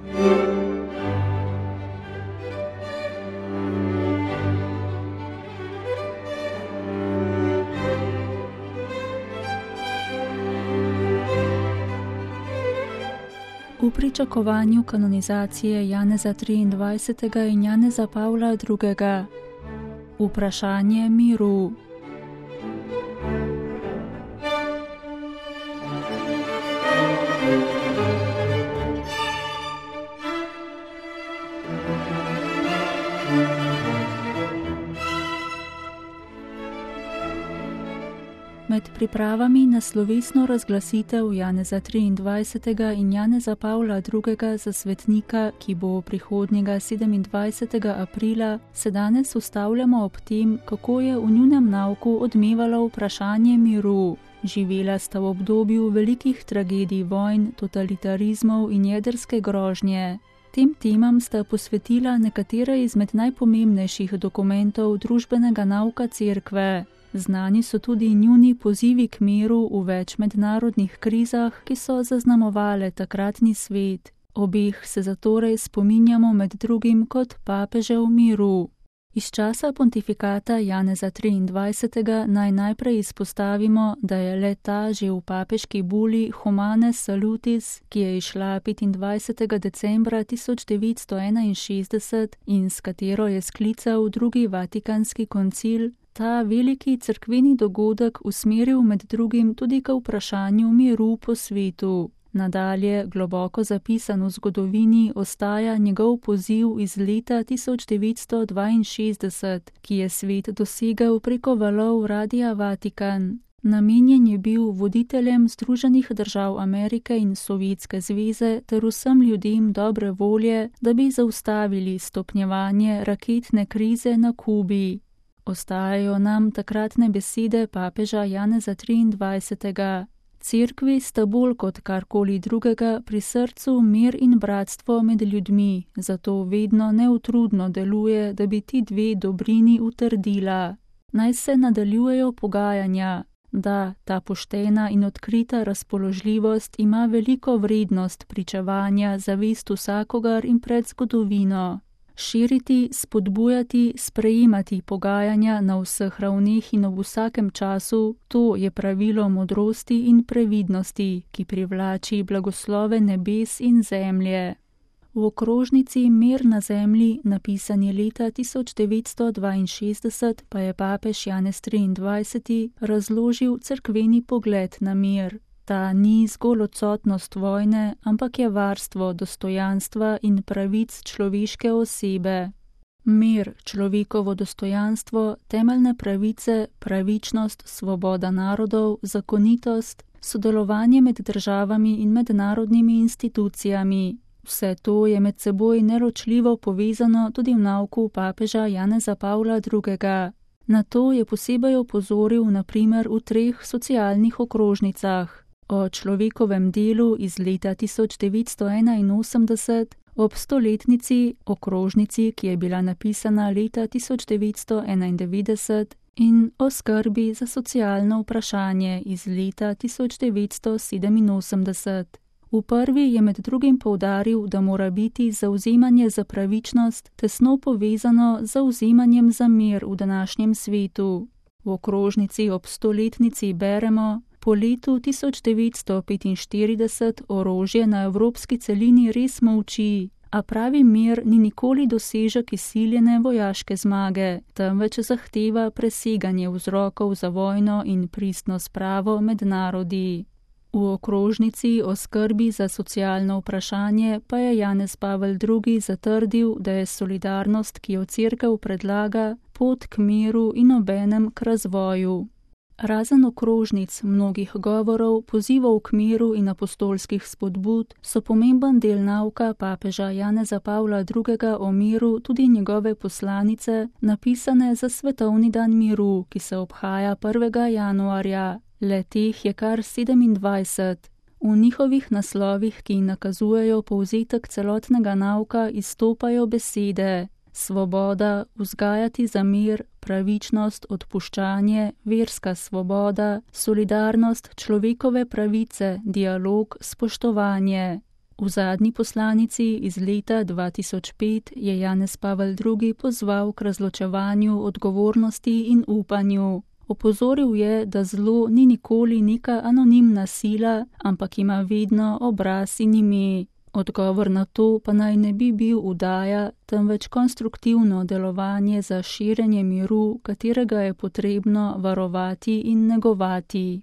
V pričakovanju kanonizacije Janeza 23. in Janeza Pavla II. Vprašanje miru. Med pripravami na slovesno razglasitev Janeza 23. in Janeza Pavla II. Za svetnika, ki bo prihodnjega 27. aprila, se danes ustavljamo ob tem, kako je v njunem nauku odmevalo vprašanje miru. Živela sta v obdobju velikih tragedij vojn, totalitarizmov in jedrske grožnje. Tem temam sta posvetila nekatere izmed najpomembnejših dokumentov družbenega nauka Cerkve. Znani so tudi njuni pozivi k miru v več mednarodnih krizah, ki so zaznamovale takratni svet. Obeh se zatorej spominjamo med drugim kot papežev miru. Iz časa pontifikata Janeza 23. naj najprej izpostavimo, da je le ta že v papeški buli Humane Salutis, ki je izšla 25. decembra 1961 in s katero je sklical drugi vatikanski koncil, ta veliki cerkveni dogodek usmeril med drugim tudi k vprašanju miru po svetu. Nadalje, globoko zapisan v zgodovini, ostaja njegov poziv iz leta 1962, ki je svet dosegel preko valov Radia Vatikan. Namenjen je bil voditeljem Združenih držav Amerike in Sovjetske zveze ter vsem ljudem dobre volje, da bi zaustavili stopnjevanje raketne krize na Kubi. Ostajajo nam takratne besede papeža Janeza 23. Cerkvi sta bolj kot karkoli drugega pri srcu mir in bratstvo med ljudmi, zato vedno neutrudno deluje, da bi ti dve dobrini utrdila. Naj se nadaljujejo pogajanja, da ta poštena in odkrita razpoložljivost ima veliko vrednost pričevanja za vest vsakogar in pred zgodovino. Širiti, spodbujati, sprejemati pogajanja na vseh ravneh in ob vsakem času, to je pravilo modrosti in previdnosti, ki privlači blagoslove nebes in zemlje. V okrožnici Mir na zemlji, napisani leta 1962, pa je papež Janez 23. razložil cerkveni pogled na mir. Ta ni zgolj odsotnost vojne, ampak je varstvo dostojanstva in pravic človeške osebe. Mir, človekovo dostojanstvo, temeljne pravice, pravičnost, svoboda narodov, zakonitost, sodelovanje med državami in mednarodnimi institucijami. Vse to je med seboj neločljivo povezano tudi v nauku papeža Janeza Pavla II. Na to je posebej opozoril na primer v 3 socialnih okrožnicah. O človekovem delu iz leta 1981, ob 100-letnici okrožnici, ki je bila napisana leta 1991, in o skrbi za socialno vprašanje iz leta 1987. V prvi je med drugim poudaril, da mora biti zavzemanje za pravičnost tesno povezano z zavzemanjem za mir v današnjem svetu. V okrožnici ob 100-letnici beremo: po letu 1945 orožje na evropski celini res molči, a pravi mir ni nikoli dosežek izsiljene vojaške zmage, temveč zahteva preseganje vzrokov za vojno in pristno spravo med narodi. V okrožnici o skrbi za socialno vprašanje pa je Janez Pavel II. Zatrdil, da je solidarnost, ki jo Cerkev predlaga, pot k miru in obenem k razvoju. Razen okrožnic, mnogih govorov, pozivov k miru in apostolskih spodbud, so pomemben del nauka papeža Janeza Pavla II. O miru tudi njegove poslanice, napisane za svetovni dan miru, ki se obhaja 1. januarja. Le teh je kar 27. V njihovih naslovih, ki nakazujejo povzetek celotnega nauka, izstopajo besede: svoboda, vzgajati za mir, pravičnost, odpuščanje, verska svoboda, solidarnost, človekove pravice, dialog, spoštovanje. V zadnji poslanici iz leta 2005 je Janez Pavel II. Pozval k razločevanju odgovornosti in upanju. Opozoril je, da zlo ni nikoli neka anonimna sila, ampak ima vedno obraz in ime. Odgovor na to pa naj ne bi bil vdaja, temveč konstruktivno delovanje za širjenje miru, katerega je potrebno varovati in negovati.